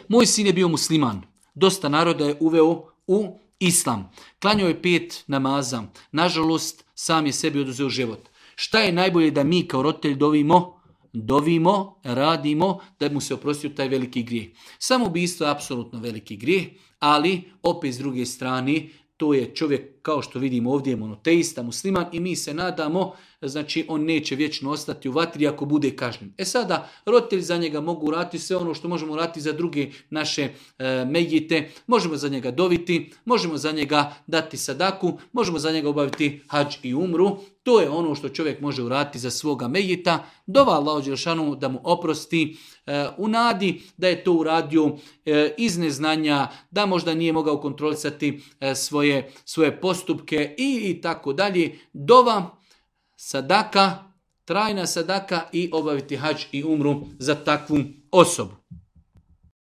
Moj sin je bio musliman. Dosta naroda je uveo u islam. Klanjao je 5 namaza. Nažalost, sam je sebi oduzeo život. Šta je najbolje da mi kao roditelj dovimo, radimo da mu se oprostio taj veliki grijeh. Samoubistvo je apsolutno veliki grijeh, ali opet s druge strane to je čovjek, kao što vidimo ovdje, je monoteista, musliman i mi se nadamo, znači on neće vječno ostati u vatri ako bude kažnjen. Sada roditelji za njega mogu uraditi sve ono što možemo uraditi za druge naše mejite, možemo za njega doviti, možemo za njega dati sadaku, možemo za njega obaviti hadž i umru. To je ono što čovjek može uraditi za svoga mejita. Dova Allahu dželešanu da mu oprosti, u nadi da je to uradio iz neznanja, da možda nije mogao kontrolisati svoje postupke i tako dalje. Dova, sadaka, trajna sadaka i obaviti hadž i umru za takvu osobu.